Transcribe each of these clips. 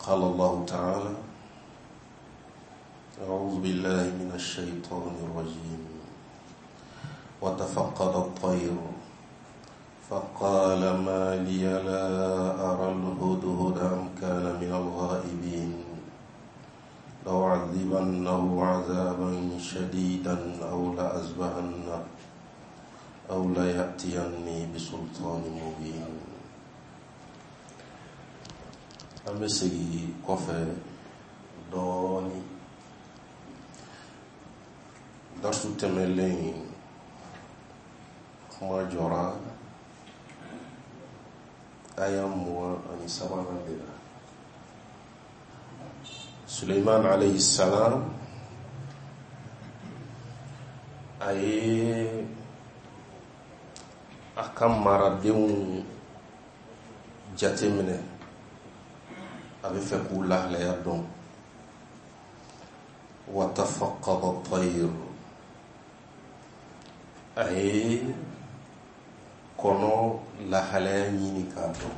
قال الله تعالى أعوذ بالله من الشيطان الرجيم وتفقد الطير فقال ما لي لا أرى الهدهد أم كان من الغائبين لأعذبنه عذابا شديدا أو لأذبحنه أو ليأتيني بسلطان مبين an bɛ segin kɔfɛ dɔɔni darisu tɛmɛlen kuma jɔra aya 23nan de la suleiman alayhi salam a ye a ka maradenw jateminɛ a bɛ fɛ k'u lahalaya dɔn wa tafaqada tayr a ye kɔnɔ lahalaya ɲini k'a dɔn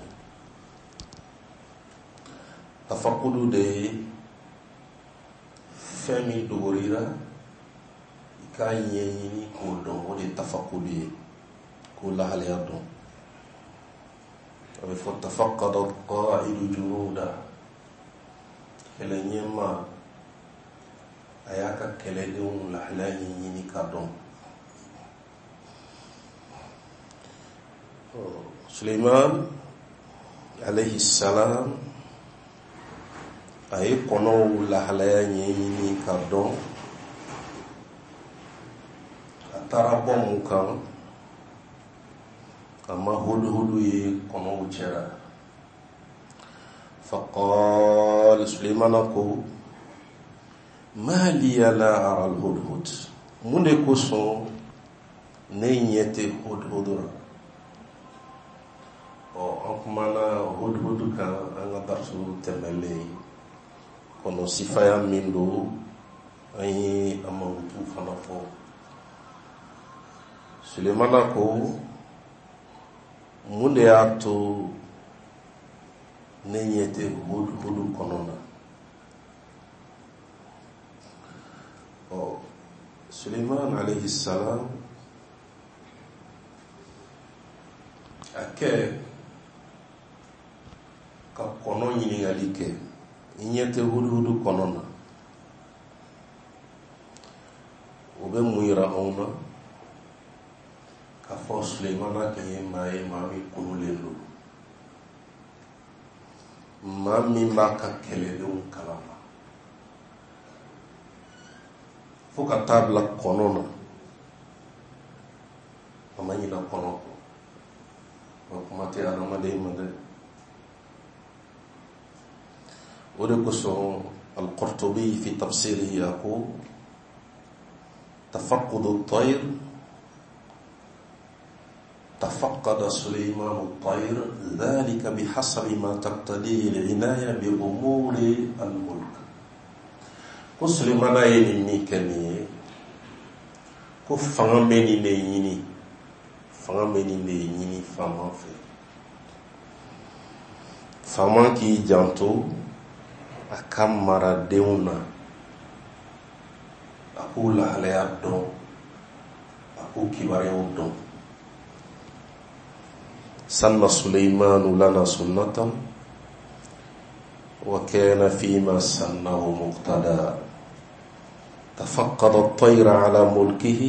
tafakudu de ye fɛn min dogorira i k'a ɲɛɲini k'o dɔn o de ye tafakudu ye k'o lahalaya dɔn a bɛ fɔ tafaqada qaidu junuda kɛlɛ ɲɛmaa a y'a ka kɛlɛdenw lahalaya ɲɛɲini k'a dɔn Suleiman alayhi salam a ye kɔnɔw lahalaya ɲɛɲini k'a dɔn a taara bɔ mun kan a ma huduhudu ye kɔnɔw cɛra faqal sulemana ko ma liya la ara alhudhud mun de kosɔn ne ɲɛ tɛ hudhudu la ɔ an kumana hudhudu kan an ka darisu tɛmɛlen kɔnɔ sifaya min don an ye a mankutu fana fɔ sulemana ko mun de y'a to ne ɲɛ tɛ hudhudu kɔnɔ na ɔ suleiman alayhi salam a kɛ ka kɔnɔ ɲininkali kɛ i ɲɛ tɛ huduhudu kɔnɔ na o bɛ mun yira anw na k'a fɔ sulemana tun ye maa ye maa min kunulen don maa min b'a ka kɛlɛdenw kalama fo ka taa bila kɔnɔ na a ma ɲina kɔnɔ kɔ o kuma tɛ adamaden ma dɛ o de kosɔn al-Qurtubi fi tafsirihi a ko tafaqqudu at-tayr تفقد سليمان الطير ذلك بحسب ما تقتضيه العناية بأمور الملك ko Sulemana ye nin min kɛ nin ye ko fanga bɛ nin de ɲini fanga bɛ nin de ɲini faama fɛ faama k'i janto a ka maradenw na a k'u lahalaya dɔn a k'u kibaruyaw dɔn sanna suleimanu lana sunnatan wa kana fima sannahu muqtada تفقد الطير على ملكه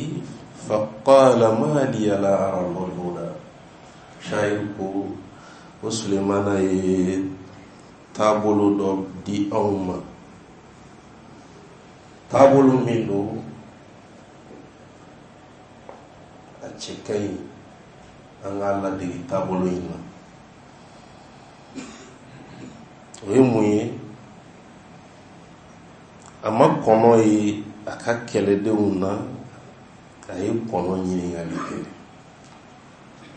فقال ما لي لا أرى الهدهد شاعر ko ko Sulemana ye taabolo dɔ di anw ma taabolo min don a cɛ ka ɲi an k'a ladege taabolo in na o ye mun ye a ma kɔnɔ ye a ka kɛlɛdenw na a ye kɔnɔ ɲininkali kɛ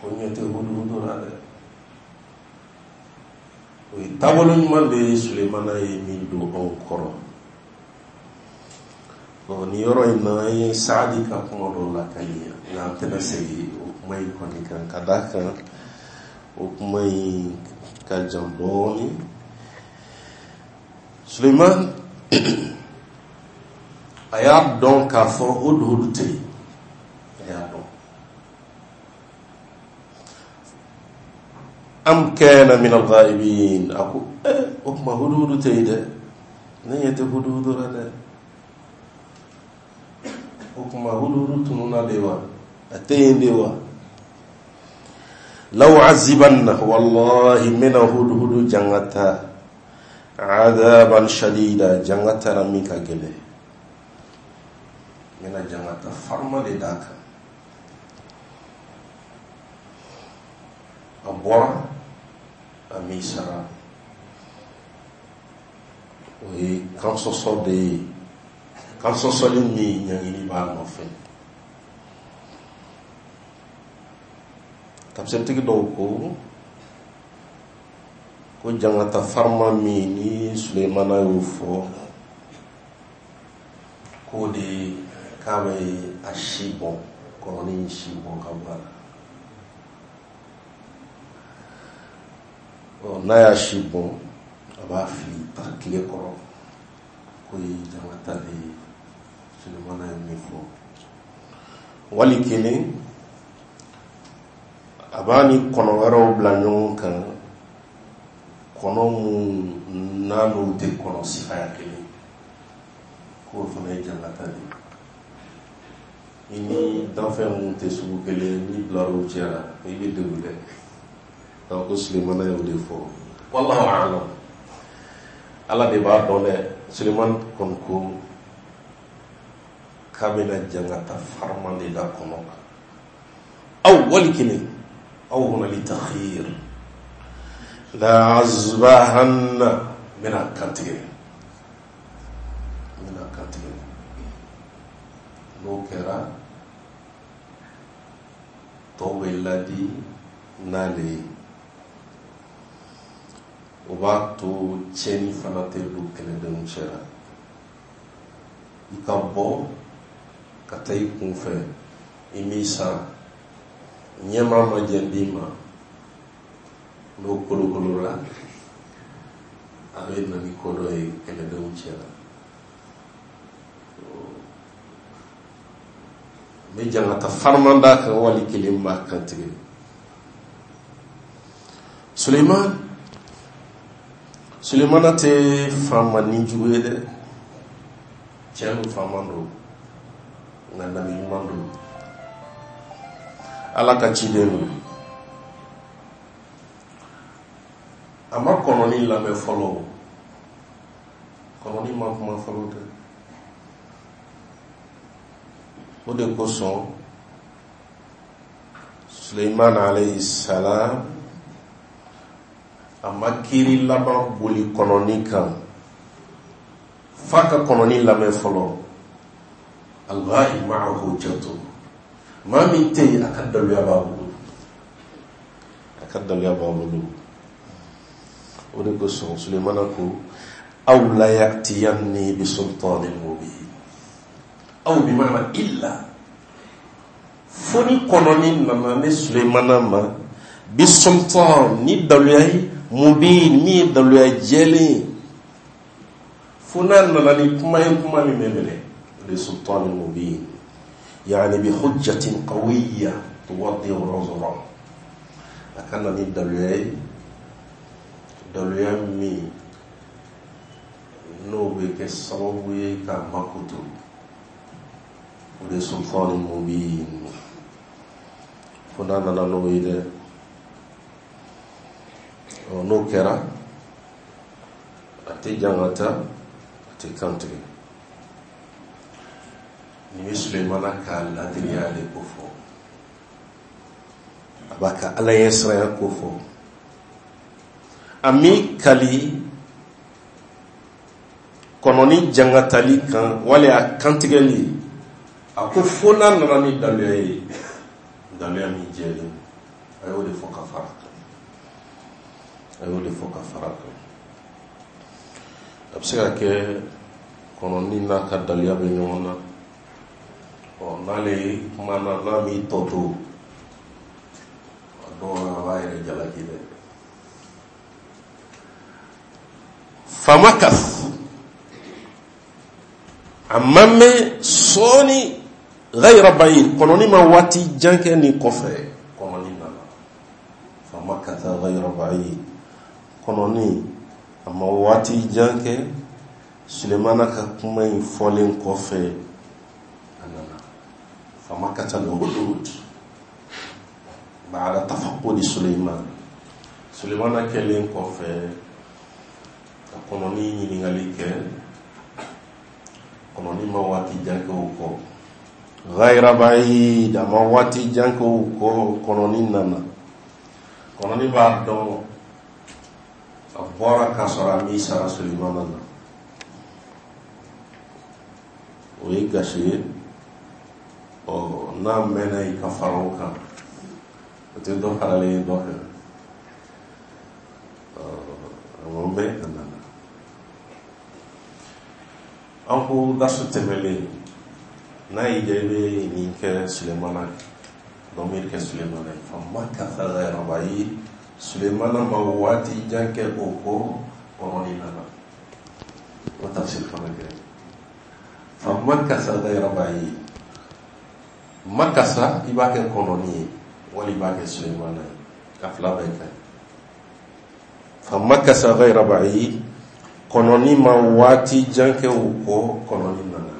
ko ɲɛ tɛ huduhudu la dɛ o ye taabolo ɲuman de ye sulemana ye min don anw kɔrɔ ɔ nin yɔrɔ in na an ye saadi ka kuma dɔ lakali yan nka an tɛna segin o kuma in kɔni kan ka d'a kan o kuma in ka jan dɔɔnin Suleiman a y'a dɔn k'a fɔ huduhudu tɛ yen, a y'a dɔn. Am kana min al-ghaibin, a ko o tuma huduhudu tɛ yen dɛ, ne ɲɛ tɛ huduhudu la dɛ. O tuma huduhudu tununna de wa? A tɛ yen de wa? La u'azibanna, wallahi n bɛna huduhudu jangata, adaban shadida, jangata la min ka gɛlɛn. N bɛna jangata farima de d'a kan. A bɔra, a m'i sara. O ye kansɔsɔ de ye, kansɔsɔli min ɲangili b'a nɔfɛ. Tafsiritigi dɔw ko ko jangata farima min ni Sulemana y'o fɔ, k'o de k'a bɛ a si bɔn, kɔnɔni si bɔn ka bɔ a la. Ɔ, n'a y'a si bɔn, a b'a fili ta tile kɔrɔ, k'o ye jangata de ye Sulemana ye min fɔ. Wali kelen, a b'a ni kɔnɔ wɛrɛw bila ɲɔgɔn kan, kɔnɔ mun n'a n'u tɛ kɔnɔ sifaya kelen, k'o fana ye jangata de ye. I ni danfɛn mun tɛ sugu kelen, n'i bilar'u cɛ la, i bɛ degun dɛ. Donc ko Sulemana y'o de fɔ, wallahu a'lam, Ala de b'a dɔn dɛ. Sulemani kɔni ko k'a bɛna jangata farima de da kɔnɔ kan. Aw wali kelen, aw huna li takhir, la azbahanna, n bɛna kantigɛ, n bɛna kantigɛ. N'o kɛra, tɔw bɛ ladi n'ale ye, o b'a to tiɲɛni fana tɛ don kɛlɛdenw cɛ la. I ka bɔ ka taa i kun fɛ, i m'i sara, ɲɛmaa ma jɛn d'i ma, n'o kolokolola, a bɛ na ni ko dɔ ye kɛlɛdenw cɛ la. N bɛ jangata fariman d'a kan, wali kelen b'a kantigɛ. Suleiman, Sulemana tɛ faama ni jugu ye dɛ, tiɲɛ don, faama don, nka nabi ɲuman don, Ala ka ciden don. A ma kɔnɔni lamɛn fɔlɔ, kɔnɔni ma kuma fɔlɔ dɛ. O de kosɔn Suleiman alayhi salam a ma kiiri laban boli kɔnɔni kan f'a ka kɔnɔni lamɛn fɔlɔ. Al-ghaib ma'ahu hujjatu, maa min tɛ yen, a ka daluya b'a bolo, a ka daluya b'a bolo. O de kosɔn Sulemana ko aw la ya'tiyanni bi sultanin mubin, aw bi maana illa, fo ni kɔnɔni nana ne Sulemana ma bi sultan, ni daluya ye, mubin, min ye daluya jɛlen ye, fo n'a nana ni kuma ye, kuma min bɛ minɛ, o de sultanin mubin, yani bi hujjatin qawiyya tuwaddihu uzra, a ka na ni daluya ye, daluya min n'o bɛ kɛ sababu ye k'a makoto, o de sultanin mubin, fo n'a nana n'o ye dɛ. Ɔ, n'o kɛra, a tɛ jangata, a tɛ kantigɛ. Nin bɛ Sulemana ka ladiriya de ko fɔ, a b'a ka Ala ɲɛsiranya ko fɔ. A m'i kali kɔnɔni jangatali kan wali a kantigɛli, a ko fo n'a nana ni daluya ye, daluya min jɛlen. A y'o de fɔ ka fara kan, a y'o de fɔ ka fara kan. A bɛ se ka kɛ kɔnɔni n'a ka daluya bɛ ɲɔgɔn na. Ɔ, n'ale kumana, n'a m'i tɔ to, a dɔw la a b'a yɛrɛ jalaki dɛ. Famakas A ma mɛn sɔɔni, ghayra ba'id, kɔnɔni ma waati jan kɛ nin kɔfɛ, kɔnɔni nana. Famakatha ghayra ba'id, kɔnɔni a ma waati jan kɛ Sulemana ka kuma in fɔlen kɔfɛ, a nana. Famakatha al-hudhud ba'da tafaqudi Suleiman. Sulemana kɛlen kɔfɛ ka kɔnɔni ɲininkali kɛ, kɔnɔni ma waati jan kɛ o kɔ, ghayra ba'id, a ma waati jan kɛ o kɔ, kɔnɔni nana. Kɔnɔni b'a dɔn a bɔra k'a sɔrɔ a m'i sara Sulemana na, o ye gasi ye. Ɔ, n'a mɛnna i ka fara o kan, o tɛ dɔ faralen ye dɔ kan. A ma mɛn, a nana. An ko dasu tɛmɛlen, n'a y'i diya i bɛ nin kɛ Sulemana, dɔmiri kɛ Sulemana ye. Famakatha ghayra ba'id, Sulemana ma waati jan kɛ o kɔ, kɔnɔni nana. O tafsir fana kɛ famakatha ghayra ba'id. Makasa, i b'a kɛ kɔnɔni ye wali i b'a kɛ Sulemana ye, a fila bɛɛ ka ɲi. Famakasa ghayra ba'id, kɔnɔni ma waati jan kɛ o kɔ, kɔnɔni nana.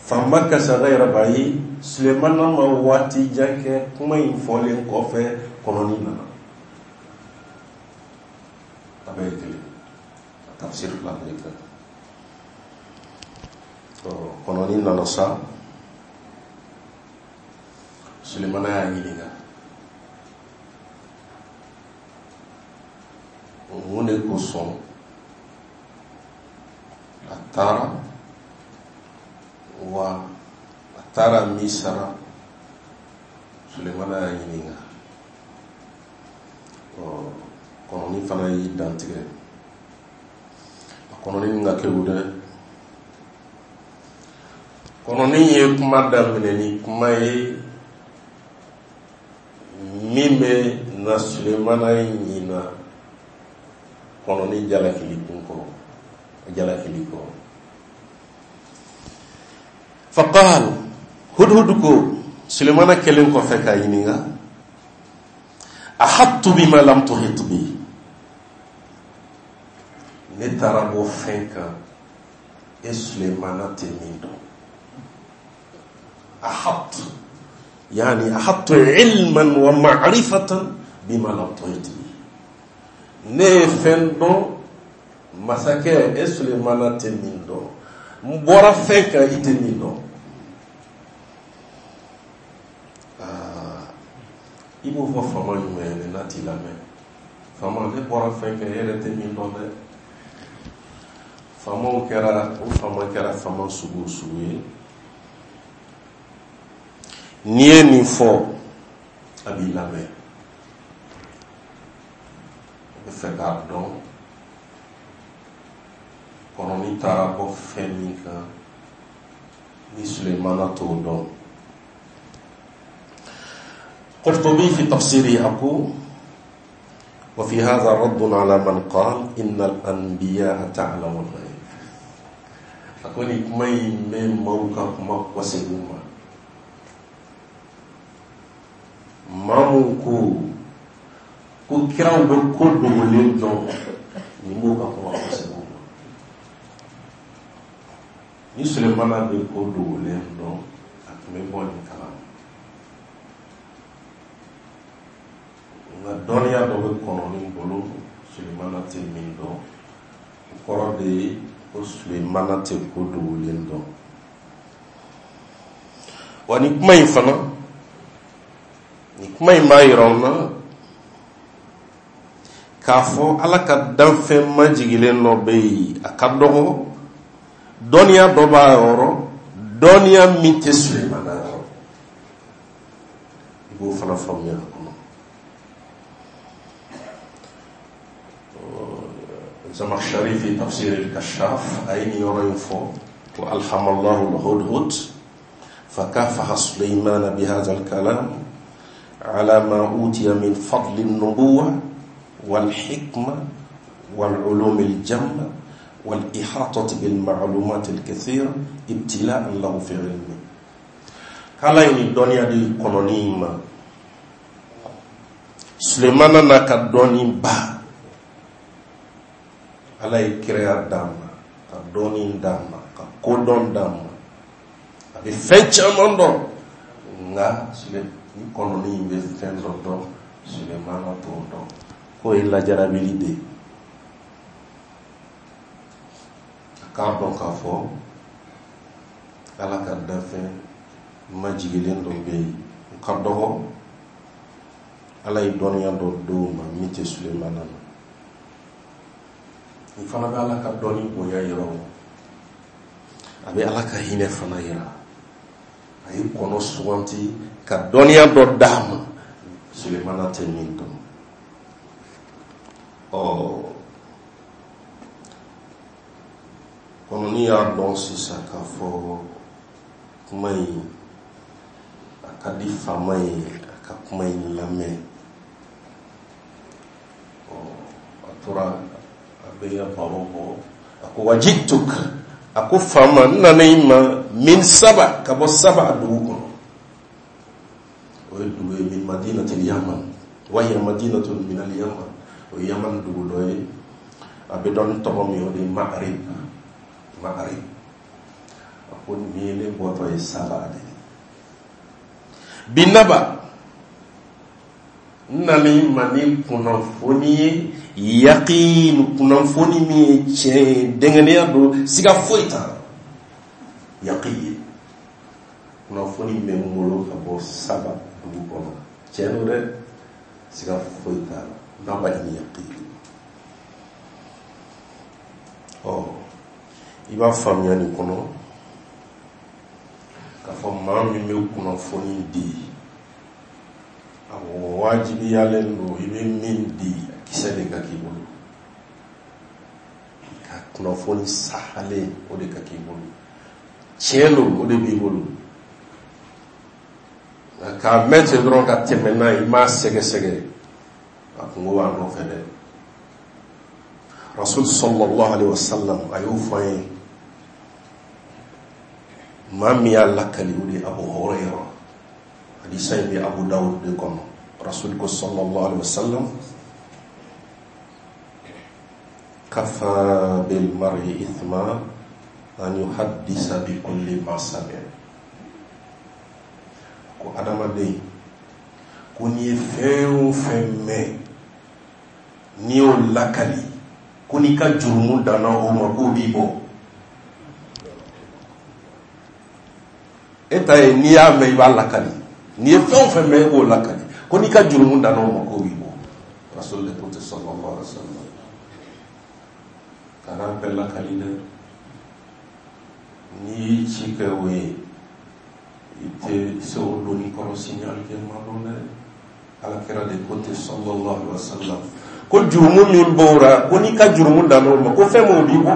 Famakasa ghayra ba'id, Sulemana ma waati jan kɛ kuma in fɔlen kɔfɛ, kɔnɔni nana. A bɛɛ ye kelen, a tafsir fila bɛɛ ye kelen. Kɔnɔni nana sa, Sulemana y'a ɲininka mun de kosɔn a taara, wa a taara min sara. Sulemana y'a ɲininka. Kɔnɔni fana y'i dantigɛ. A kɔnɔni nin ka kegun dɛ. Kɔnɔni ye kuma daminɛ ni kuma ye min bɛ na Sulemana ɲina kɔnɔni jalakili kun kɔrɔ, jalakili kɔrɔ. Faqal hudhud ko, Sulemana kɛlen kɔfɛ k'a ɲininka, ahattu bima lam tuhit bi, ne taara bɔ fɛn kan e Sulemana tɛ min dɔn. Ahattu yani ahattu ilman wa ma'rifatan bima lam tuhit bi, ne ye fɛn dɔn masakɛ e Sulemana tɛ min dɔn, n bɔra fɛn kan i tɛ min dɔn. I b'o fɔ faama jumɛn ye n'a t'i lamɛn? Faama, ne bɔra fɛn kan e yɛrɛ tɛ min dɔn dɛ. Faamaw kɛra, o faama kɛra faama sugu o sugu ye, n'i ye nin fɔ a b'i lamɛn, a bɛ fɛ k'a dɔn kɔnɔni taara bɔ fɛn min kan ni Sulemana t'o dɔn. Qurtubi fi tafsiri a ko wa fi hadha raddun ala man qala inna al-anbiya ta'lamu al-ghaib. A ko nin kuma in bɛ maaw ka kuma kɔsegin ma, maa mun ko kiraw bɛ ko dogolen dɔn, nin b'o ka kuma kɔsegin ma. Ni Sulemana bɛ ko dogolen dɔn, a tun bɛ bɔ nin kalama. Nka dɔnniya dɔ bɛ kɔnɔni bolo Sulemana tɛ min dɔn, o kɔrɔ de ye ko Sulemana tɛ ko dogolen dɔn. Wa nin kuma in fana, nin kuma in b'a yira an na k'a fɔ Ala ka danfɛn majigilen dɔ bɛ yen, a ka dɔgɔ, dɔnniya dɔ b'a yɔrɔ, dɔnniya min tɛ Sulemana yɔrɔ. I b'o fana faamuya a kɔnɔ. Zamakhshari fi tafsir al-Kashaf a ye nin yɔrɔ in fɔ ko alhamallahu al-hudhud fakafaha Suleymana bihadha al-kalam ala ma utiya min fadli an-nubuwa wal-hikma wal-ulum al-jamma. والإحاطة بالمعلومات الكثيرة ابتلاء له في علمه. K'Ala ye nin dɔnniya di kɔnɔni in ma, Sulemana n'a ka dɔnni ba. Ala ye kiraya d'a ma, ka dɔnni d'a ma, ka kodɔn d'a ma, a bɛ fɛn caman dɔn. Nka ni kɔnɔni in bɛ fɛn dɔ dɔn, Sulemana t'o dɔn, k'o ye lajarabili de ye. A k'a dɔn k'a fɔ Ala ka danfɛn majigilen dɔ bɛ yen, u ka dɔgɔ, Ala ye dɔnniya dɔ d'o ma min tɛ Sulemana na. Nin fana bɛ Ala ka dɔnni bonya yira o, a bɛ Ala ka hinɛ fana yira. A ye kɔnɔ suganti ka dɔnniya dɔ d'a ma, Sulemana tɛ min dɔn. Ɔ kɔnɔni y'a dɔn sisan k'a fɔ kuma in a ka di faama ye, a ka kuma in lamɛn. Ɔ a tora a bɛ ya baro bɔ. A ko wajituk, a ko faama, n nana i ma min Saba, ka bɔ Saba dugu kɔnɔ. O ye dugu ye, min madinatil Yaman, wa hiya madinatun min al Yaman, o ye Yaman dugu dɔ ye. A bɛ dɔn ni tɔgɔ min, o de ye Ma'arib. Ma'arib. A ko nin ye ne bɔtɔ ye Saba de ye. Binaba, n nana i ma ni kunnafoni ye, yaqin, kunnafoni min ye tiɲɛ ye, dɛngɛnɛya don, siga foyi t'a la. Yaqin, kunnafoni bɛ n bolo ka bɔ Saba dugu kɔnɔ, tiɲɛ don dɛ, siga foyi t'a la. Naba ni yaqin. Ɔ i b'a faamuya nin kɔnɔ k'a fɔ maa min bɛ kunnafoni di, a wajibiyalen don i bɛ min di, kisɛ de ka k'i bolo, ka kunnafoni sahalen o de ka k'i bolo, tiɲɛ don, o de b'i bolo. Nka k'a mɛn ten dɔrɔn ka tɛmɛ n'a ye, i m'a sɛgɛsɛgɛ, a kungo b'a nɔfɛ dɛ. Rasul sallallahu alaihi wasallam a y'o fɔ an ye. Maa min y'a lakali, o de ye Abu Huraira. Hadisa in bɛ Abu Dawud de kɔnɔ. Rasul ko sallallahu alaihi wasallam: kafa bil mar'i ithma an yuhaddisa bi kulli ma sami'a. Ko adamaden, ko n'i ye fɛn o fɛn mɛn, n'i y'o lakali, ko n'i ka jurumu danna o ma, k'o b'i bɔ. E ta ye n'i y'a mɛn, i b'a lakali. N'i ye fɛn o fɛn mɛn, e b'o lakali, ko n'i ka jurumu danna o ma, k'o b'i bɔ. Rasul de ko ten sallallahu alaihi wa sallam. Kana bɛɛ lakali dɛ. N'i y'i ci kɛ o ye, i tɛ se o doni kɔrɔ sini alikiyama don dɛ. Ala kira de ko ten sallallahu alaihi wa sallam, ko jurumu min b'o ra, ko n'i ka jurumu danna o ma, ko fɛn m'o b'i bɔ,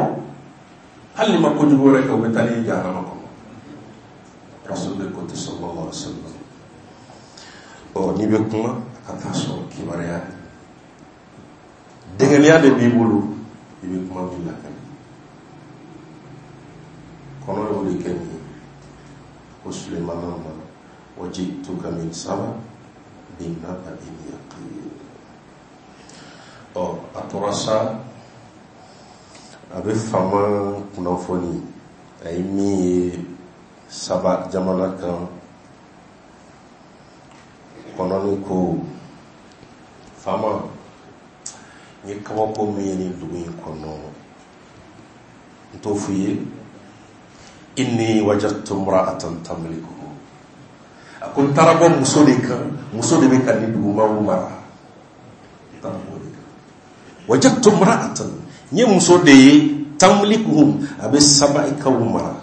hali n'i ma kojugu wɛrɛ kɛ, o bɛ taa n'i ye jahanama kɔnɔ. Rasul de ko ten sallallahu alaihi wa sallam. Ɔ n'i bɛ kuma, a ka taa sɔrɔ kibaruya dɛngɛniya de b'i bolo, i bɛ kuma min lakali. Kɔnɔ y'o de kɛ nin ye ko Sulemana ma: wajituka min Saba binaba'in yaqin. Ɔ a tora sa, a bɛ faama kunnafoni, a ye min ye Saba jamana kan. Kɔnɔni ko: faama, n ye kabako min ye nin dugu in kɔnɔ, n t'o f'i ye. Inni wajadtu imra'atan tamlikuhu. A ko n taara bɔ muso de kan, muso de bɛ ka nin dugumaw mara. N taara bɔ o de kan. Wajadtu imra'atan, n ye muso de ye, tamlikuhum, a bɛ Sabaikaw mara,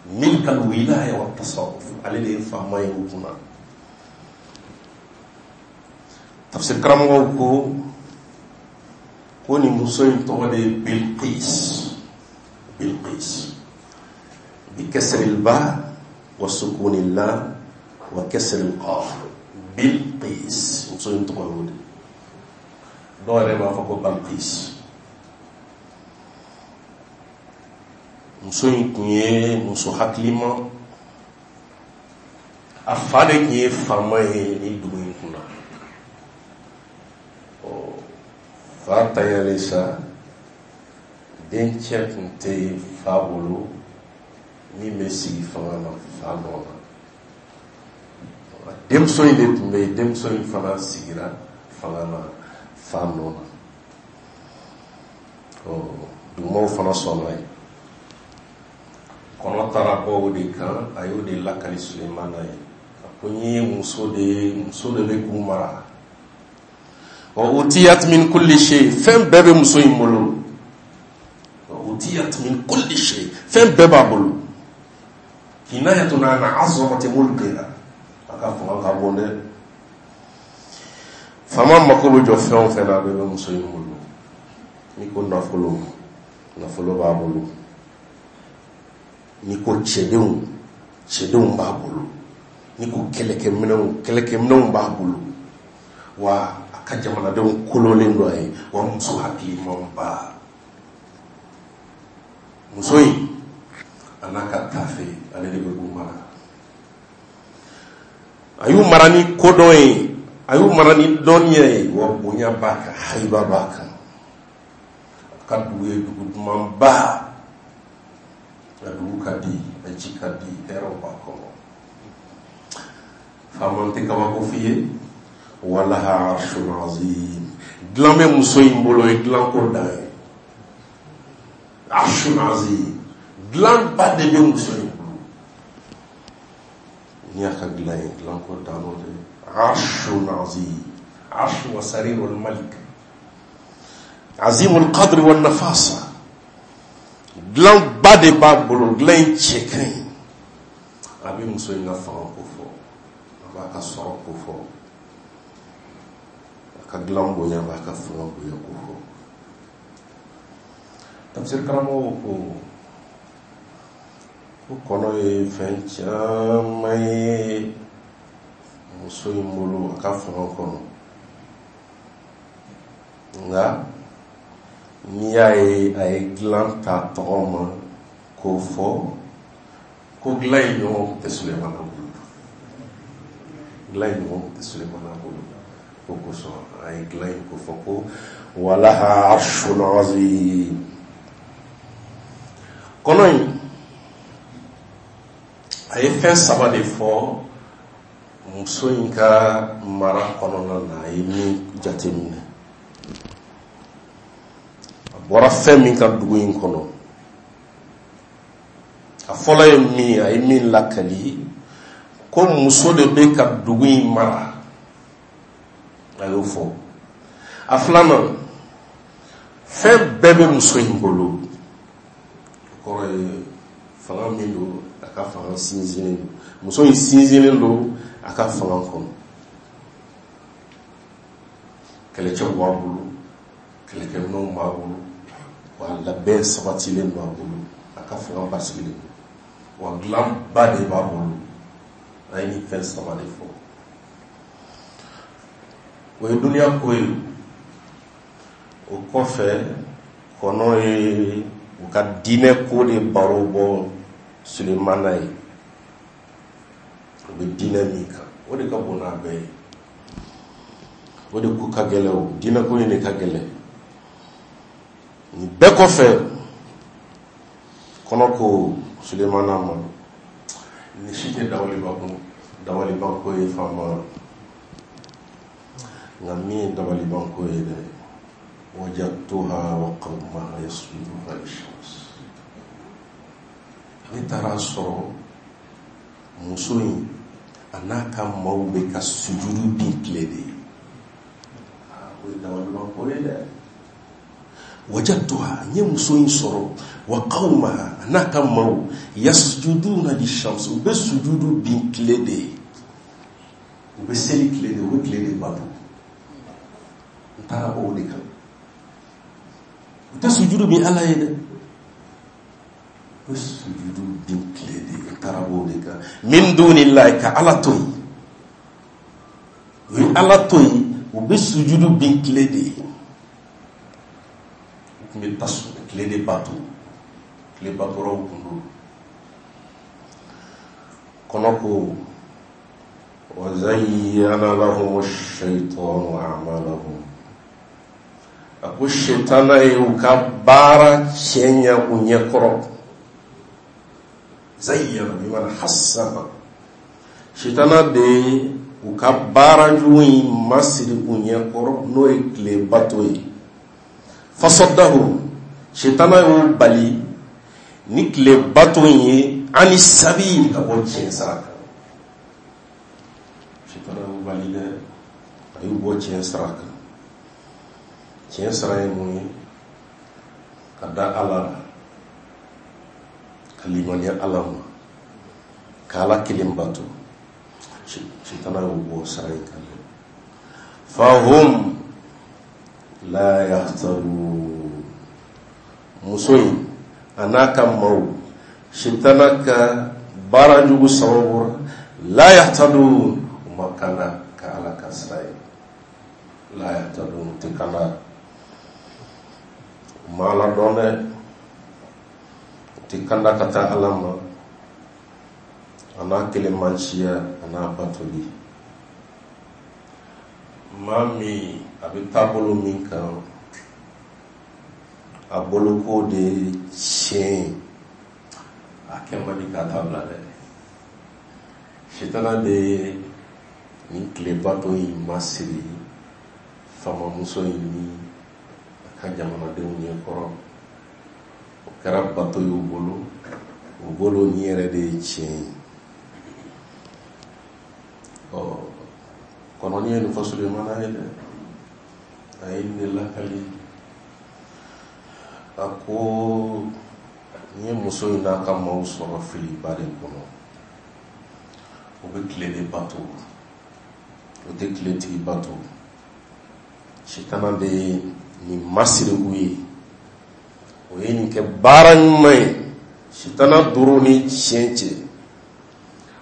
milkal wilaya wa tasarruf, ale de ye faama ye u kunna. Tafsir karamɔgɔw ko ko nin muso in tɔgɔ de ye Bilqis. Bilqis bi kasri ba wa sukuni la wa kasri qaf, Bilqis, muso in tɔgɔ y'o de. Dɔw yɛrɛ b'a fɔ ko Balqis. Muso in tun ye muso hakilima, a fa de tun ye faama ye nin dugu in kunna. Ɔ, fa tanyalen sa, dencɛ tun tɛ yen fa bolo min bɛ sigi fanga na fa nɔ na. Denmuso in de tun bɛ yen, denmuso in fana sigira fanga na fa nɔ na. Ɔ, dugumaaw fana sɔnna ye. Kɔnɔ taara bɔ o de kan, a y'o de lakali Sulemana ye. A ko n ye muso de ye, muso de bɛ k'u mara. Wa utiyat min kulli shay, fɛn bɛɛ bɛ muso in bolo. Wa utiyat min kulli shay, fɛn bɛɛ b'a bolo. Kinayatun an azamati mulkiha, a ka fanga ka bon dɛ. Faama mako bɛ jɔ fɛn o fɛn na, a bɛɛ bɛ muso in bolo. N'i ko nafolo, nafolo b'a bolo. N'i ko cɛdenw, cɛdenw b'a bolo. N'i ko kɛlɛkɛminɛnw, kɛlɛkɛminɛnw b'a bolo. Wa a ka jamanadenw kololen don a ye. Wa muso hakilimanba, muso in a n'a ka tafe, ale de bɛ k'u mara. A y'u mara ni kodɔn ye, a y'u mara ni dɔnniya ye, wa bonya b'a kan, hayiba b'a kan. A ka dugu ye dugu dumanba, a dugu ka di, a ji ka di, hɛrɛw b'a kɔnɔ. Faama tɛ kabako f'i ye. Walaha arshun azim, dilan bɛ muso in bolo, ye dilanko dan ye. Arshun azim, dilanba de bɛ muso in bolo. N'i y'a ka dilan ye, dilanko dan o de. Arshun azim, arshu wa sarirul malik, azimul qadri wa nafasa, dilanba de b'a bolo, dilan in cɛ ka ɲi. A bɛ muso in ka fanga ko fɔ, a b'a ka sɔrɔ ko fɔ, a ka dilan bonya, a b'a ka fanga bonya ko fɔ. Tafsir karamɔgɔw ko ko kɔnɔ ye fɛn caman ye muso in bolo a ka fanga kɔnɔ, nka n'i y'a ye a ye dilan ta tɔgɔ ma k'o fɔ, ko dilan in ɲɔgɔn tɛ Sulemana bolo, dilan in ɲɔgɔn tɛ Sulemana bolo. O kosɔn a ye dilan in ko fɔ ko walaha arshun azim. Kɔnɔ in a ye fɛn saba de fɔ muso in ka mara kɔnɔna na, a ye min jateminɛ. A bɔra fɛn min ka dugu in kɔnɔ, a fɔlɔ ye min ye, a ye min lakali, ko muso de bɛ ka dugu in mara, a y'o fɔ. A filanan, fɛn bɛɛ bɛ muso in bolo, o kɔrɔ ye fanga min don, a ka fanga sinsinnen don. Muso in sinsinnen don a ka fanga kɔnɔ. Kɛlɛcɛw b'a bolo, kɛlɛkɛminɛnw b'a bolo, wa labɛn sabatilen b'a bolo, a ka fanga basigilen don, wa dilanba de b'a bolo. A ye nin fɛn saba de fɔ. O ye duniya ko ye. O kɔfɛ, kɔnɔ ye u ka diinɛ ko de baro bɔ Sulemana ye. U bɛ diinɛ min kan, o de ka bon n'a bɛɛ ye, o de ko ka gɛlɛn, o diinɛ ko in de ka gɛlɛn. Nin bɛɛ kɔfɛ, kɔnɔ ko Sulemana ma, nin si tɛ dabalibanko ye faama, nka min ye dabalibanko ye dɛ, wajadtuha wa qawmaha yasjuduna lishams. Ne taara sɔrɔ muso in a n'a ka maaw bɛ ka sujudu bin tile de ye. O ye dabalibanko ye dɛ. Wajadtuha, n ye muso in sɔrɔ, wa qawmaha, a n'a ka maaw, yasjuduna lishams, u bɛ sujudu bin tile de ye, u bɛ seli tile de, u bɛ tile de bato. N taara o de kan. U tɛ sujudu bin Ala ye dɛ, u bɛ sujudu bin tile de ye. N taara o de kan. Min dunillahi, ka Ala to yen, u ye Ala to yen, u bɛ sujudu bin tile de ye, u tun bɛ tasuma tile de bato. Tile batolaw kun don. Kɔnɔ ko wa zayyana lahum ash-shaytanu a'malahum, a ko shetana ye u ka baara cɛɲa u ɲɛkɔrɔ. Zayyana bimana hassana, shetana de ye u ka baara jugu in masiri u ɲɛkɔrɔ, n'o ye tile bato ye. Fasaddahu, shetana y'u bali ni tile bato in ye, ani sabil, ka bɔ tiɲɛ sira kan. Shetana y'u bali dɛ, a y'u bɔ tiɲɛ sira kan. Tiɲɛ sira ye mun ye? Ka da Ala la, ka limaniya Ala ma, ka Ala kelen bato. Shetana y'u bɔ sira in kan dɛ. Fahum la yahtadun, muso in a n'a ka maaw, shetana ka baara jugu sababu la, la yahtadun, u ma kanda ka Ala ka sira ye. La yahtadun, u tɛ kanda, u ma Ala dɔn dɛ, u tɛ kanda ka taa Ala ma, a n'a kelenmanciya, a n'a batoli. Maa min a bɛ taabolo min kan, a bolo k'o de ye tiɲɛ ye, a kɛ man di k'a ta bila dɛ. Sitana de ye nin tilebato in masiri faamamuso in ni a ka jamanadenw ɲɛkɔrɔ. O kɛra bato y'u bolo, u bolo nin yɛrɛ de ye tiɲɛ ye. Ɔ, kɔnɔni ye nin fɔ Sulemana ye dɛ, a ye nin de lakali. A ko n ye muso in n'a ka maaw sɔrɔ filiba de kɔnɔ. U bɛ tile de bato, u tɛ tiletigi bato. Sitana de ye nin masiri u ye, o ye nin kɛ baara ɲuman ye. Sitana doro ni tiɲɛ cɛ,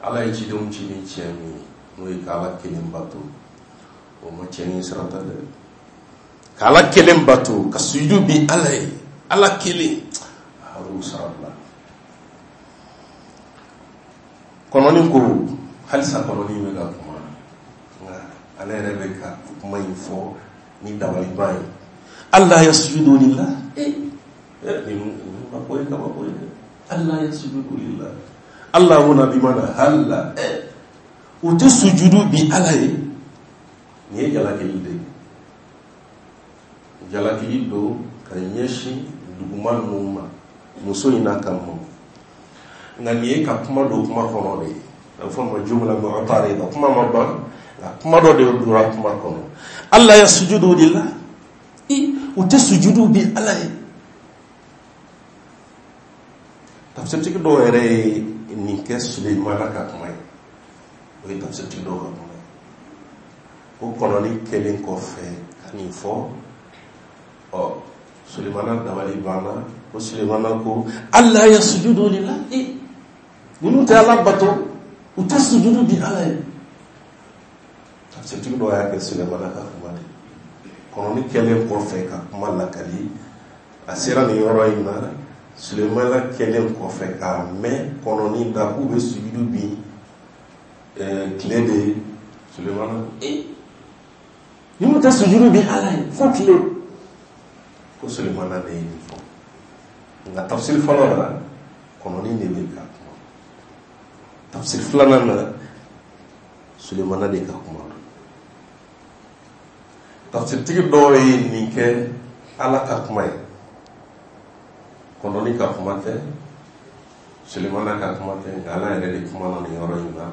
Ala ye cidenw ci ni tiɲɛ min ye, n'o ye k'Ala kelen bato, o ma tiɲɛ ni sira ta dɛ. K'Ala kelen bato, ka sujudu bi Ala ye, Ala kelen, a y'o sira bila. Kɔnɔni ko halisa, kɔnɔni bɛ ka kuma, nka ale yɛrɛ bɛ ka kuma in fɔ ni dabaliban ye. Alla yasjudu lillah, nin ma ko ye kabako ye dɛ. Alla yasjudu lillah, Allah huna bimana halla, u tɛ sujudu bi Ala ye. Nin ye jalakili de ye, jalakili don ka ɲɛsin duguma ninnu ma, muso in n'a ka maaw. Nka nin ye ka kuma don kuma kɔnɔ de ye, a bɛ fɔ ma jumla mu'tarida, kuma ma ban, nka kuma dɔ de donna kuma kɔnɔ. Alla yasjudu lillah, u tɛ sujudu bi Ala ye. Tafsirtigi dɔw yɛrɛ ye nin kɛ Sulemana ka kuma ye, o ye tafsirtigi dɔw ka kuma ye. Ko kɔnɔni kɛlen kɔfɛ ka nin fɔ, ɔ, Sulemana dabali banna. Ko Sulemana ko alla yasjudu lillah, ninnu tɛ Ala bato, u tɛ sujudu bi Ala ye. Tafsirtigi dɔw y'a kɛ Sulemana ka kuma de. Kɔnɔni kɛlen kɔfɛ ka kuma lakali, a sera nin yɔrɔ in na, Sulemana kɛlen kɔfɛ k'a mɛn kɔnɔni da k'u bɛ sujudu bi tile de ye, Sulemana, ninnu tɛ sujudu bi Ala ye fo tile. Ko Sulemana de ye nin fɔ. Nka tafsiri fɔlɔ la, kɔnɔni de bɛ ka kuma. Tafsiri filanan na, Sulemana de ka kuma don. Tafsiritigi dɔw ye nin kɛ Ala ka kuma ye, kɔnɔni ka kuma tɛ, Sulemana ka kuma tɛ, nka Ala yɛrɛ de kuma na nin yɔrɔ in na,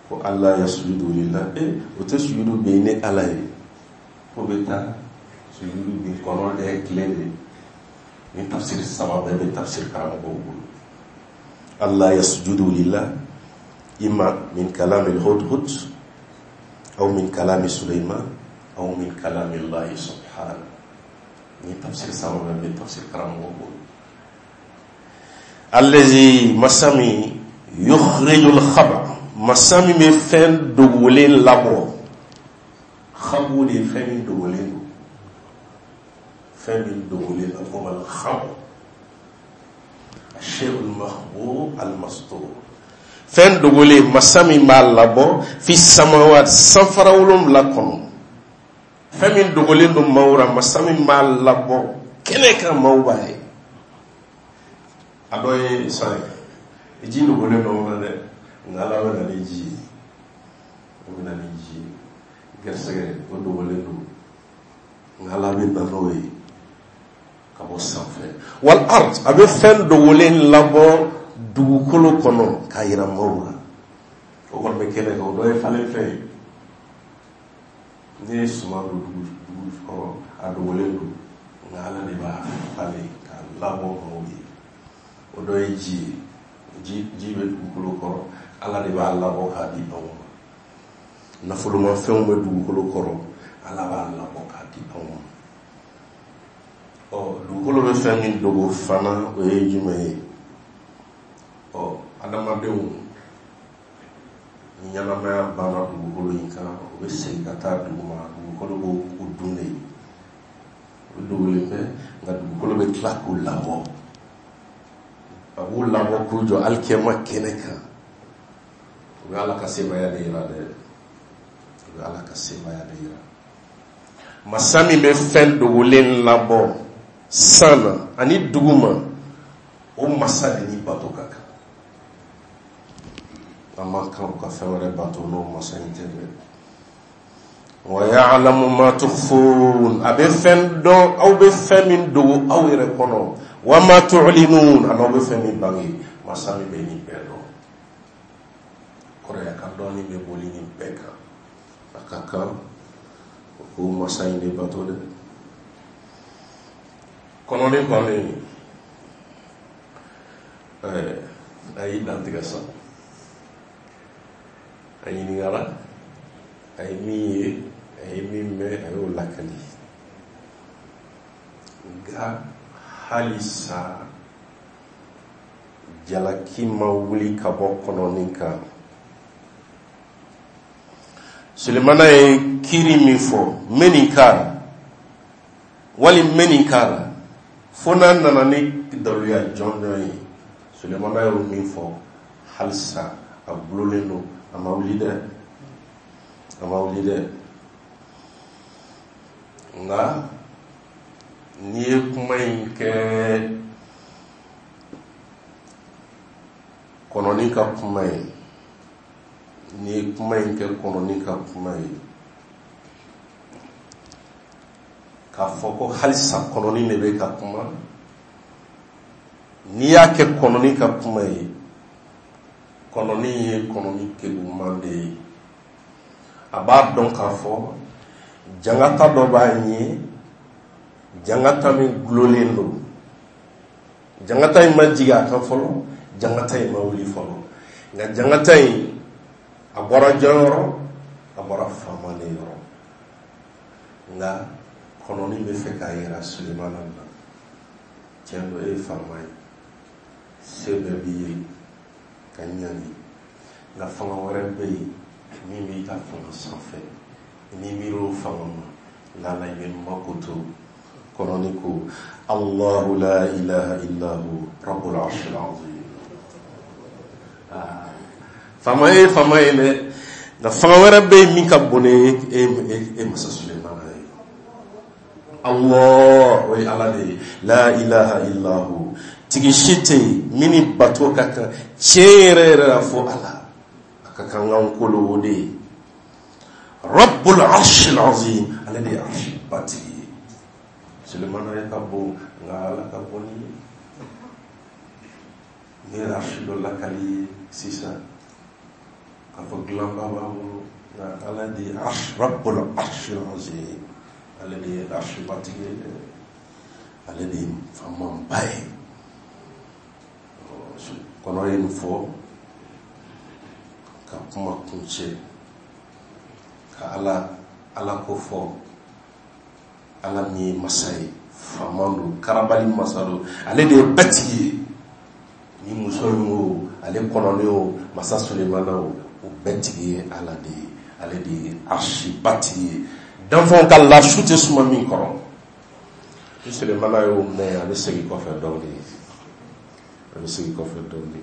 ko alla yasjudu lillah, o tɛ sujudu bɛ ne Ala ye, ko bɛ taa sujudu bi kɔnɔ de, tile de. Ni tafsiri saba bɛɛ bɛ tafsiri karamɔgɔw bolo. Alla yasjudu lillah imma min kalami al-hudhud aw min kalami Sulaiman aw min kalami Allah subhanahu. Ni tafsiri saba bɛɛ bɛ tafsiri karamɔgɔw bolo. Allazi, masa min, yukhrijul khaba, masa min bɛ fɛn dogolen labɔ. Khabu de ye fɛn min dogolen don, fɛn min dogolen, a fɔ ma al-khabu. ashay'ul makhbu al mastur, fɛn dogolen, masa min b'a labɔ, fi samawat, sanfara 7 kɔnɔ, fɛn min dogolen don maaw ra, masa min b'a labɔ kɛnɛ kan, maaw b'a ye. A dɔ ye san ye, ji dogolen don na dɛ, nka Ala bɛ na ni ji ye, o bɛ na ni ji ye. Gɛrɛsɛgɛ, o dogolen don, nka Ala bɛ na n'o ye ka bɔ sanfɛ. Wal ard, a bɛ fɛn dogolen labɔ dugukolo kɔnɔ k'a yira maaw la, o kɔni bɛ kɛnɛ kan. O dɔ ye falenfɛn ye. N'i ye suman don dugu kɔrɔ, a dogolen don, nka Ala de b'a falen k'a labɔ maaw ye. O dɔ ye ji ye. Ji bɛ dugukolo kɔrɔ, Ala de b'a labɔ k'a di anw ma. Nafolomafɛnw bɛ dugukolo kɔrɔ, Ala b'a labɔ k'a di anw ma. Dugukolo bɛ fɛn min dogo fana, o ye jumɛn ye? Adamadenw ni ɲɛnamaya banna dugukolo in kan, u bɛ segin ka taa duguma, dugukolo b'o dun de. O dogolen bɛ, nka dugukolo bɛ tila k'u labɔ, a b'u labɔ k'u jɔ alikiyama kɛnɛ kan. O bɛ Ala ka sebaaya de yira dɛ, o bɛ Ala ka sebaaya de yira. Masa min bɛ fɛn dogolen labɔ san na ani duguma, o masa de ni bato ka kan. An man kan ka fɛn wɛrɛ bato n'o masa in tɛ dɛ. Wa ya'lamu ma tukhfun, a bɛ fɛn dɔn, aw bɛ fɛn min dogo aw yɛrɛ kɔnɔ, wa ma tu'linun, ani aw bɛ fɛn min bange. Masa min bɛ nin bɛɛ dɔn, kɔrɔya ka dɔnni bɛ boli nin bɛɛ kan. A ka kan o k'o masa in de bato dɛ. Kɔnɔni kɔni, a y'i dantigɛ sa. A ɲininkara, a ye min ye, a ye min mɛn, a y'o lakali. Nka halisa jalaki ma wuli ka bɔ kɔnɔni kan. Sulemana ye kiiri min fɔ, n bɛ nin k'a la, wali n bɛ nin k'a la, fo n'a nana ni daluya jɔnjɔn ye. Sulemana y'o min fɔ, halisa a gulonlen don, a ma wuli dɛ, a ma wuli dɛ. Nka n'i ye kuma in kɛ kɔnɔni ka kuma ye, n'i ye kuma in kɛ kɔnɔni ka kuma ye, k'a fɔ ko halisa kɔnɔni de bɛ ka kuma, n'i y'a kɛ kɔnɔni ka kuma ye, kɔnɔni ye kɔnɔni keguman de ye. A b'a dɔn k'a fɔ jangata dɔ b'a ɲɛ, jangata min gulonlen don. Jangata in ma jigin a kan fɔlɔ, jangata in ma wuli fɔlɔ, nka jangata in a bɔra jɔn yɔrɔ? A bɔra faama de yɔrɔ. Nka kɔnɔni bɛ fɛ k'a yira Sulemana na, tiɲɛ don, e ye faama ye, se bɛɛ b'i ye ka ɲangi, nka fanga wɛrɛ bɛ yen min b'i ka fanga sanfɛ. N'i miir'o fanga ma, lala i bɛ makoto. Kɔnɔni ko Allahu la ilaha illa hu rabbul arshil azim. Faama ye faama ye dɛ, nka fanga wɛrɛ bɛ yen min ka bon ni e masa Sulemana ye. Allah, o ye Ala de ye. La ilaha illa hu, tigi si tɛ yen min ni bato ka kan tiɲɛ yɛrɛ yɛrɛ la fo Ala. A ka kan k'an kolo o de ye. Rabbul arshil azim, ale de ye arshi batigi ye. Sulemana ye ka bon, nka Ala ka bon ni ye. Ne ye arshi dɔ lakali ye sisan k'a fɔ dilanba b'a bolo, nka Ala de ye arshi, Rabbul arshil azim, ale de ye arshi batigi ye dɛ, ale de ye faamaba ye. Kɔnɔ ye nin fɔ ka kuma kuncɛ, ka Ala ko fɔ. Ala min ye masa ye, faama don, karabali masa don, ale de ye bɛɛ tigi ye. Ni muso in o, ale kɔnɔni o, masa Sulemana o, o bɛɛ tigi ye Ala de ye. Ale de ye arsiba tigi ye, danfɛnw ka lasu tɛ suma min kɔrɔ. Ni Sulemana y'o mɛn, a bɛ segin kɔfɛ dɔɔnin. A bɛ segin kɔfɛ dɔɔni,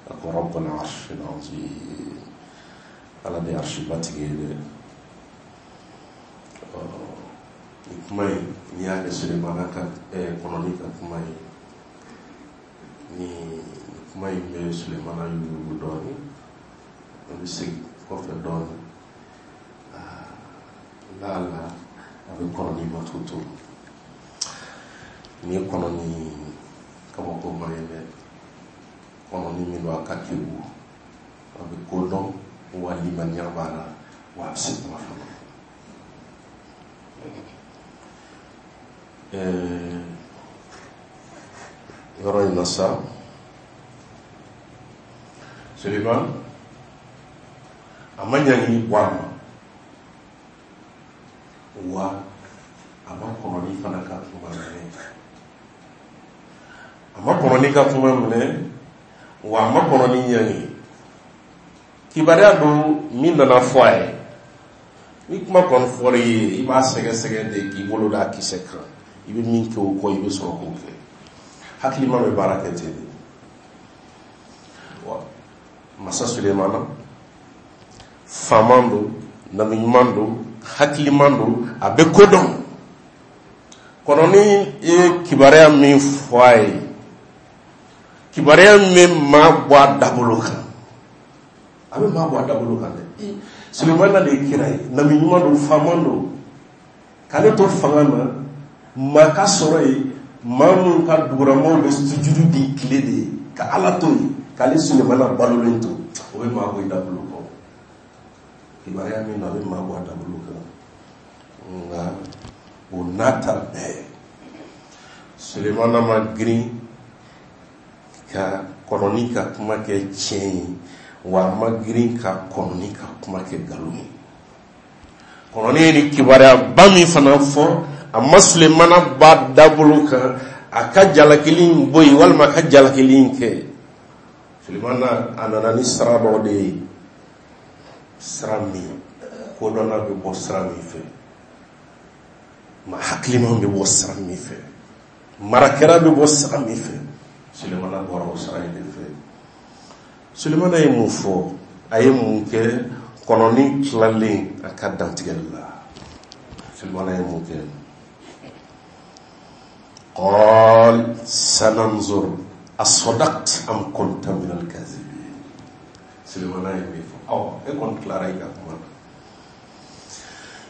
a ko rabbal arshil azim, Ala de ye arshiba tigi ye dɛ. Nin kuma in, n'i y'a kɛ Sulemana ka kɔnɔni ka kuma ye, ni kuma in bɛ Sulemana yugu dɔɔni. A bɛ segin kɔfɛ dɔɔni, laala a bɛ kɔnɔni ma to. Nin ye kɔnɔni kabakoma ye dɛ, kɔnɔni min don a ka kegu, a bɛ ko dɔn, wa limaniya b'a la, wa a bɛ se kuma fana. Yɔrɔ in na sa, Suleiman a ma ɲangili bɔ a ma, wa a ma kɔnɔni fana ka kuma minɛ, a ma kɔnɔni ka kuma minɛ, wa a ma kɔnɔni ɲangi. Kibaruya don min nana fɔ a ye. Ni kuma kɔni fɔra i ye, i b'a sɛgɛsɛgɛ de k'i bolo da kisɛ kan. I bɛ min kɛ o kɔ, i bɛ sɔrɔ k'o kɛ. Hakilima bɛ baara kɛ ten de. Wa masa Sulemana faama don, nabi ɲuman don, hakiliman don, a bɛ ko dɔn. Kɔnɔni ye kibaruya min fɔ a ye, kibaruya min bɛ maa bɔ a dabolo kan, a bɛ maa bɔ a dabolo kan dɛ. Sulemana de ye kira ye, nabi ɲuman don, faama don. K'ale to fanga na, maa ka sɔrɔ yen, maa minnu ka duguramaw bɛ sujudu di tile de ye, ka Ala to yen, k'ale Sulemana balolen to, o bɛ maa bɔ i dabolo kan. Kibaruya min na, a bɛ maa bɔ a dabolo kan. Nka o n'a ta bɛɛ, Sulemana ma girin ka kɔnɔni ka kuma kɛ tiɲɛ ye, wa a ma girin ka kɔnɔni ka kuma kɛ nkalon ye. Kɔnɔni ye ni kibaruyaba min fana fɔ, a ma Sulemana ba dabolo kan a ka jalakili in bɔ yen walima a ka jalakili in kɛ. Sulemana a nana ni sira dɔ de ye, sira min kodɔnna bɛ bɔ sira min fɛ, ma hakiliman bɛ bɔ sira min fɛ, marakɛla bɛ bɔ sira min fɛ. Sulemana bɔra o sira in de fɛ. Sulemana ye mun fɔ, a ye mun kɛ kɔnɔni tilalen a ka dantigɛli la? Sulemana ye mun kɛ? Qal sananzur asadaqt am kunta min al-kazibin. Sulemana ye min fɔ, ɔ e kɔni tilara i ka kuma na,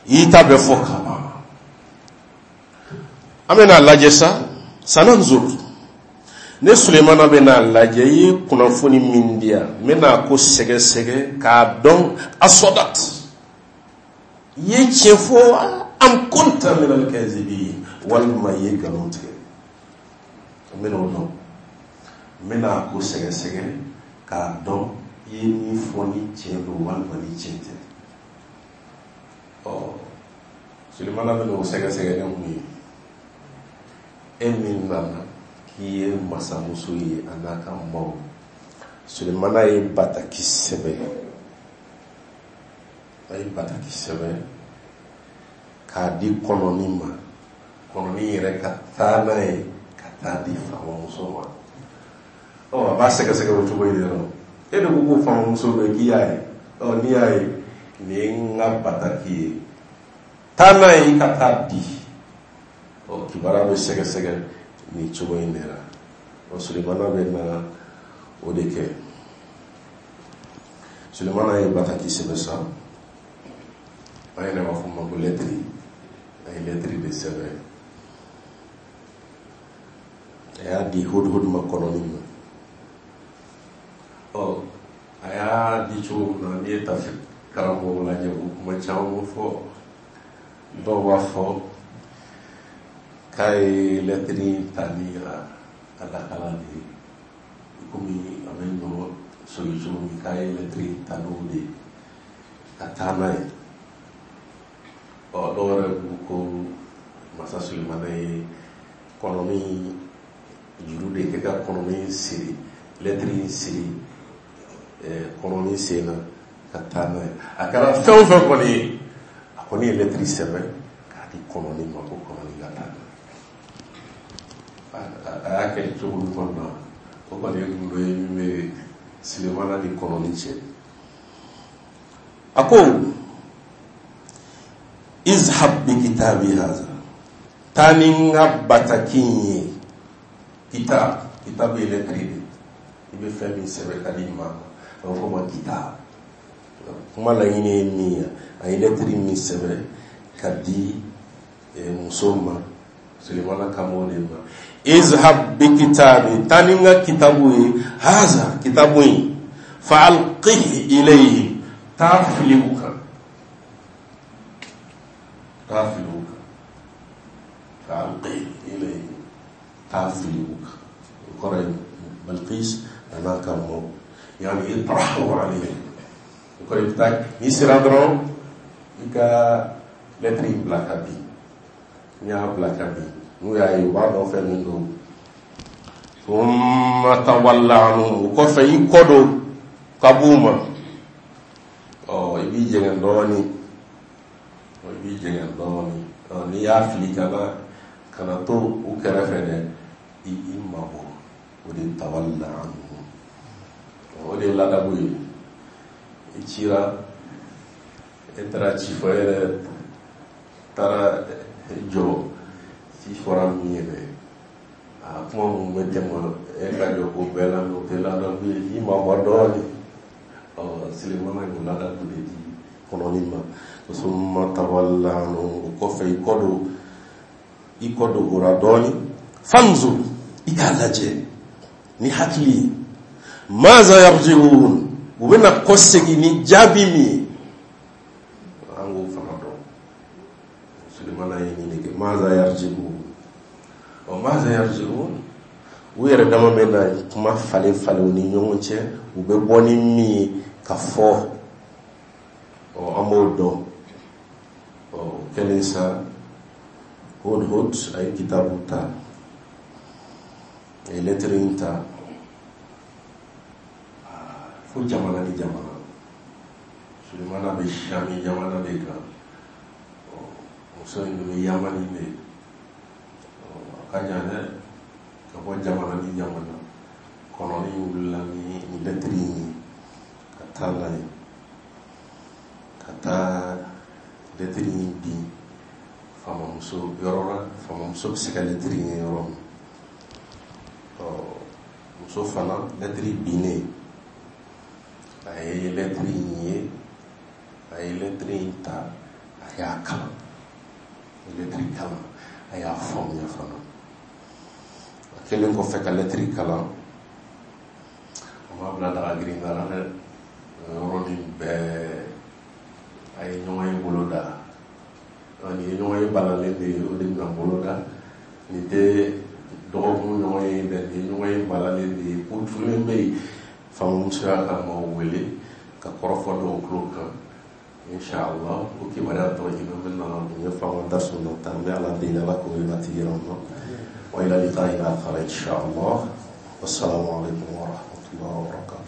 i y'i ta bɛɛ fɔ ka ban, an bɛna lajɛ sa. Sananzur, ne Sulemana bɛna lajɛ, i ye kunnafoni min di yan, n bɛna ko sɛgɛsɛgɛ k'a dɔn, asɔdat, i ye tiɲɛ fɔ wa, am kunta min al-kazibin, walima i ye nkalon tigɛ. N bɛna o dɔn, n bɛna ko sɛgɛsɛgɛ k'a dɔn i ye min fɔ ni tiɲɛ don walima ni tiɲɛ tɛ. Ɔ Sulemana bɛna o sɛgɛsɛgɛ ni mun ye? E min nana k'i ye masamuso ye a n'a ka maaw, Sulemana ye bataki sɛbɛn, a ye bataki sɛbɛn k'a di kɔnɔni ma, kɔnɔni yɛrɛ ka taa n'a ye ka taa di faamamuso ma. Ɔ a b'a sɛgɛsɛgɛ o cogo in de la. E de ko ko faamamuso bɛ k'i y'a ye, ɔ n'i y'a ye, nin ye n ka bataki ye, taa n'a ye i ka taa di. Ɔ kibaruya bɛ sɛgɛsɛgɛ nin cogo in de la. Ɔ Sulemana bɛ na o de kɛ. Sulemana ye bataki sɛbɛn sa, an yɛrɛ b'a fɔ ma ko lɛtiri. A ye lɛtiri de sɛbɛn, a y'a di Hudhud ma, kɔnɔni ma. Ɔ a y'a di cogo min na, n'i ye tafsir karamɔgɔw lajɛ, u kuma caman fɔ. Dɔw b'a fɔ k'a ye lɛtiri ta ni a lakala de ye, komi a bɛ ɲɔ soli cogo min, k'a ye lɛtiri ta n'o de ye ka taa n'a ye. Ɔ dɔw yɛrɛ ko ko masa Sulemana ye kɔnɔni juru de kɛ ka kɔnɔni siri, lɛtiri siri kɔnɔni sen na ka taa n'a ye. A kɛra fɛn o fɛn kɔni ye, a kɔni ye lɛtiri sɛbɛn k'a di kɔnɔni ma ko kɔnɔni ka taa n'a ye. A y'a kɛ cogo min kɔni na, O kɔni ye gundo ye min bɛ Sulemana ni kɔnɔni cɛ. A ko izhab bi kitabi haza, taa ni n ka bataki in ye. Kitab, kitab ye lɛtiri de, i bɛ fɛn min sɛbɛn ka di maa ma, a bɛ fɔ o ma kitab. Kuma laɲini ye min ye, a ye lɛtiri min sɛbɛn ka di muso ma, Sulemana kan b'o de ma. Izhab bi kitabi, taa ni n ka kitabu ye, haza kitabu in, fa alqihi ilayhim, taa fili u kan, taa fili u kan, fa alqihi ilayhim, taa fili u kan. O kɔrɔ ye Balqis a n'a ka mɔɔw, yani itrahu alayhim, o kɔrɔ i bɛ taa, n'i sera dɔrɔn i ka lɛtiri in bila ka bin. N'i y'a bila ka bin, n'u y'a ye, u b'a dɔn fɛn min don. Thumma tawalla anhum, o kɔfɛ i kɔ don ka b'u ma. Ɔ, i b'i jɛngɛ dɔɔnin, i b'i jɛngɛ dɔɔnin. Ɔ, n'i y'a fili, kana to u kɛrɛfɛ dɛ, i mabɔ. O de ye tawalla anhum, o de ye ladabu ye. I cira, e taara ci fɔ, e yɛrɛ taara jɔ ci fɔra min ye dɛ, a kuma mun bɛ tɛmɛ e ka jɔ k'o bɛɛ lamɛn, o tɛ ladabu ye. I mabɔ dɔɔnin. Ɔ, Sulemana y'o ladabu de di kɔnɔni ma. Summa tawalla anhum, o kɔfɛ i kɔ don, i kɔ don o la dɔɔnin. Fanzur, i k'a lajɛ ni hakili ye, maza yarjiun, u bɛna kɔsegin ni jaabi min ye, an k'o fana dɔn. Sulemana ye nin de kɛ. Maza yarjiun, ɔ, maza yarjiun, u yɛrɛ dama bɛ na kuma falen falen u ni ɲɔgɔn cɛ, u bɛ bɔ ni min ye ka fɔ, ɔ, an b'o dɔn. Ɔ, o kɛlen sa, Hudhud a ye kitabu ta, a ye lɛtiri in ta fo jamana ni jamana. Sulemana bɛ Sami jamana de kan, muso in bɛ Yamani de. A ka jan dɛ, ka bɔ jamana ni jamana. Kɔnɔni wulila ni lɛtiri in ye ka taa n'a ye, ka taa lɛtiri in bin faamamuso yɔrɔ la, faamamuso bɛ se ka lɛtiri in ye yɔrɔ min. Ɔ, muso fana, lɛtiri binnen, a ye lɛtiri in ye, a ye lɛtiri in ta, a y'a kalan, a ye lɛtiri kalan, a y'a faamuya fana. A kɛlen kɔfɛ ka lɛtiri kalan, a m'a bila daga girinda la dɛ. O yɔrɔnin bɛɛ a ye ɲɔgɔn ye bolo da. Nin ye ɲɔgɔn ye balalen de ye, o de bɛna bolo da. Nin tɛ dɔgɔkun ɲɔgɔn ye dɛ, nin ye ɲɔgɔn ye balalen de ye. Ko tulen bɛ yen. Faamamuso y'a ka maaw wele ka kɔrɔfɔ dɔw tulo kan. Inshallah, o kibaruya tɔ in an bɛna o ɲɛfɔ an ka darisu nata. An bɛ Ala deli, Ala k'o ɲɛnatigi yɛrɛ ma. Wa ila liqa'in akhar inshallah. Wassalamu alaikum wa rahmatullahi wa barakatuh.